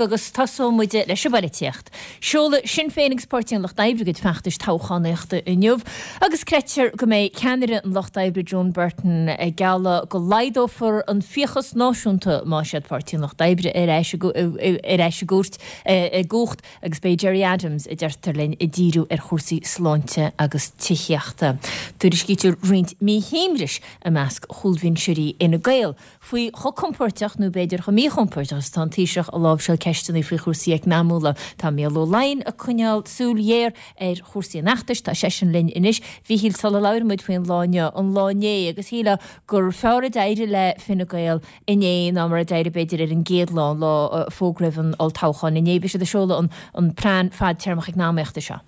Agus tosóidh muid leis an bpoilitíocht. Seolfaidh Sinn Féin agus Páirtí an Lucht Oibre a gcuid feachtais toghchánaíochta inniu agus creidtear go mbeidh ceannaire an Lucht Oibre Joan Burton ag gealladh go laghdófar an fiachas náisiúnta má siad Páirtí an Lucht Oibre ar ais ar ais i gcúirt i gcumhacht agus beidh Gerry Adams, a deirtear linn, ag díriú ar chúrsaí sláinte agus tithíochta. Tuairiscítear roinnt míshuaimhnis i measc chúlbhinseoirí Fhine Gael faoi chomh compóirteach, nó b'fhéidir chomh míchompóirteach, is atá an Taoiseach ag láimhseáil ceisteanna faoi chúrsaí eacnamúla. Tá Mícheál Ó Laighin ag coinneáil súil ghéar ar chúrsaí an fheachtais. Tá seisean linn anois. A Mhíchíl, sula labhraíonn muid faoin lá inniu, an lá inné, agus shílfeá gur fearr a d'éirigh le Fine Gael inné ná mar a d'éirigh b'fhéidir ar an gcéad lá, an lá a fógraíodh an olltoghchán inné. Bhí siad ag seoladh an plean fadtéarmach eacnamaíochta seo.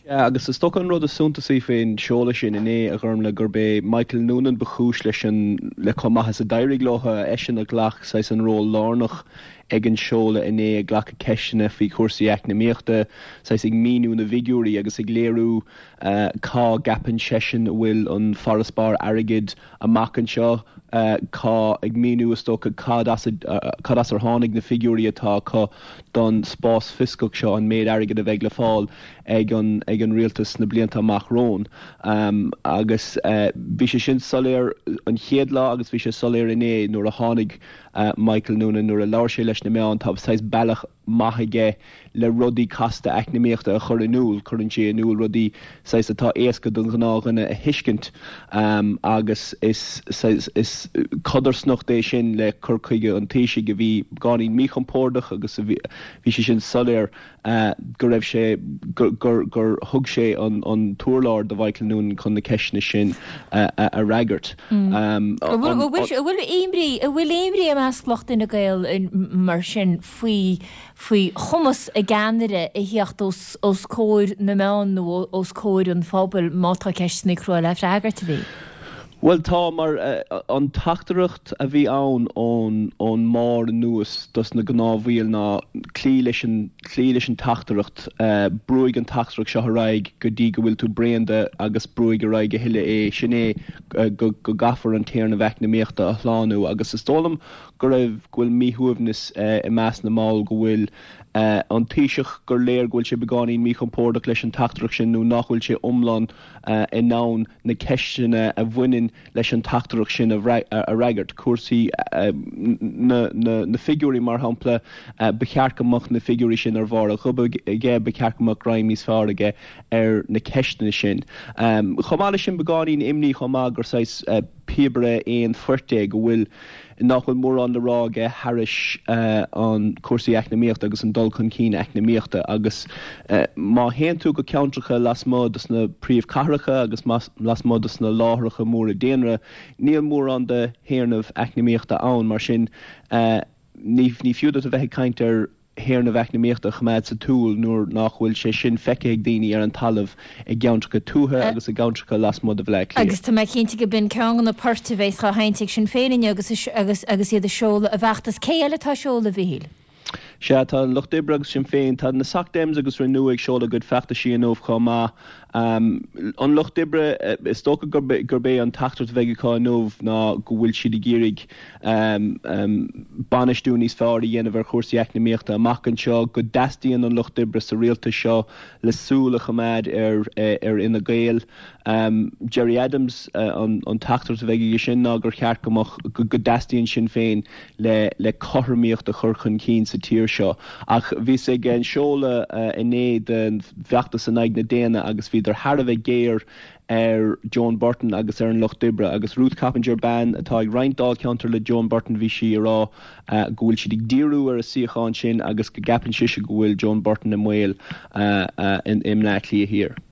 Sea, agus is dócha an rud is suntasaí faoin seoladh sin inné, a Ghormlaith, gurb é Michael Noonan ba chúis leis an, le chomh maith is a d'éirigh leo, eisean a ghlac saghas an ról lárnach ag an seoladh inné, ag glacadh ceisteanna faoi chúrsaí eacnamaíochta, saghas ag míniú na bhfigiúirí agus ag léiriú cá gceapann seisean a bhfuil an farasbarr airgid amach anseo, cá, ag míniú is dócha cad as a, cad as ar tháinig na figiúirí atá acu don spás fioscach seo, an méid airgid a bheidh le fáil ag an, ag an rialtas sna blianta amach romhainn. Agus bhí sé sin soiléir an chéad lá agus bhí sé soiléir inné nuair a tháinig Michael Noonan, nuair a labhair sé leis na meáin, tá saghas bealach maith aige le rudaí casta eacnamaíochta a chur in iúl. Cuireann sé in iúl rudaí saghas atá éasca don ghnáthdhuine a thuiscint agus is saghas, is codarsnacht é sin le cur chuige an Taoisigh a bhí beagáinín míchompordach agus a bhí, bhí sé sin soiléir go raibh sé, gur, gur, gur thug sé an, an t-urlár do Mhichael Noonan chun na ceisteanna sin a, a fhreagairt. An bhfuil imní, an bhfuil imní i measc lucht Fhine Gael mar sin faoi, faoi chumas a gceannaire a theacht os, os comhair na meán nó os comhair an phobail má tá ceisteanna crua le freagairt, a Mhíchíl? Bhuel tá, mar an teachtaireacht a bhí ann ón ón mbarr anuas dos na gnáthbhaill ná cloígh leis an, cloígh leis an teachtaireacht, brúigh an teachtaireacht seo ar aghaidh go dtí go bhfuil tú bréan de agus brúigh ar aghaidh a thuilleadh é, sin é go go gcaithfear an téarnamh eacnamaíochta a shlánú agus is dóigh liom go raibh, go bhfuil míshuaimhneas i measc na mball go bhfuil an Taoiseach, gur léir go bhfuil sé beagáinín míchompordach leis an teachtaireacht sin nó nach bhfuil sé iomlán in ann na ceisteanna a bhaineann leis an teachtaireacht sin a fhreagairt. Cúrsaí na figiúirí, mar shampla, ba cheart go mbeadh na figiúirí sin ar bharr a ghoba aige, ba cheart go mbeadh greim níos fearr aige ar na ceisteanna sin. Chomh maith leis sin, beagáinín imní chomh maith gur saghas píobaire aon phoirt é, go bhfuil, nach bhfuil mórán le rá aige thairis an cúrsaí eacnamaíochta agus an dul chun cinn eacnamaíochta agus má théann tú go ceantracha lasmuigh dos na príomhchathracha agus lasmuigh dos na láithreacha móra daonra, níl mórán de théarnamh eacnamaíochta ann mar sin ní fiú duit a bheith ag caint ar théarnamh eacnamaíochta a choimeád sa tsiúl nuair nach bhfuil sé sin feicthe ag daoine ar an talamh i gceantracha tuaithe agus i gceantracha lasmuigh de Bhaile Átha Cliath. Agus tá mé cinnte go b'in ceann de na poirt a bheas á sheinnt ag Sinn Féin inniu agus agus agus iad ag seoladh a bhfeachtas. Cé eile atá ag seoladh, a Mhíchíl? Sea, tá an Lucht Oibre agus Sinn Féin, tá na Soc Dems agus Renew ag seoladh a gcuid feachtaisí inniu chomh maith. An Lucht Oibre, is dócha gurb é an teachtaireacht a bheidh acu inniu ná go bhfuil siad ag iarraidh bainistiú níos fearr a dhéanamh ar chúrsaí eacnamaíochta amach anseo, go dteastaíonn an Lucht Oibre sa rialtas seo le súil a choimeád ar Fhine Gael. Gerry Adams, an teachtaireacht a bheidh aige sin ná gur cheart go mbeadh, go dteastaíonn Sinn Féin le cothromaíocht a chur chun cinn sa tír seo. Ach bhíos ag an seoladh inné den bhfeachtas in aghaidh na déine agus bhíodar thar a bheith géar ar Joan Burton agus ar an Lucht Oibre. Agus Ruth Coppinger, bean atá ag roinnt dáilcheantair le Joan Burton, bhí sí ag rá go bhfuil siad ag díriú ar a suíochán sin agus go gceapann sise go bhfuil Joan Burton i mbaol i mBleá Cliath Thiar.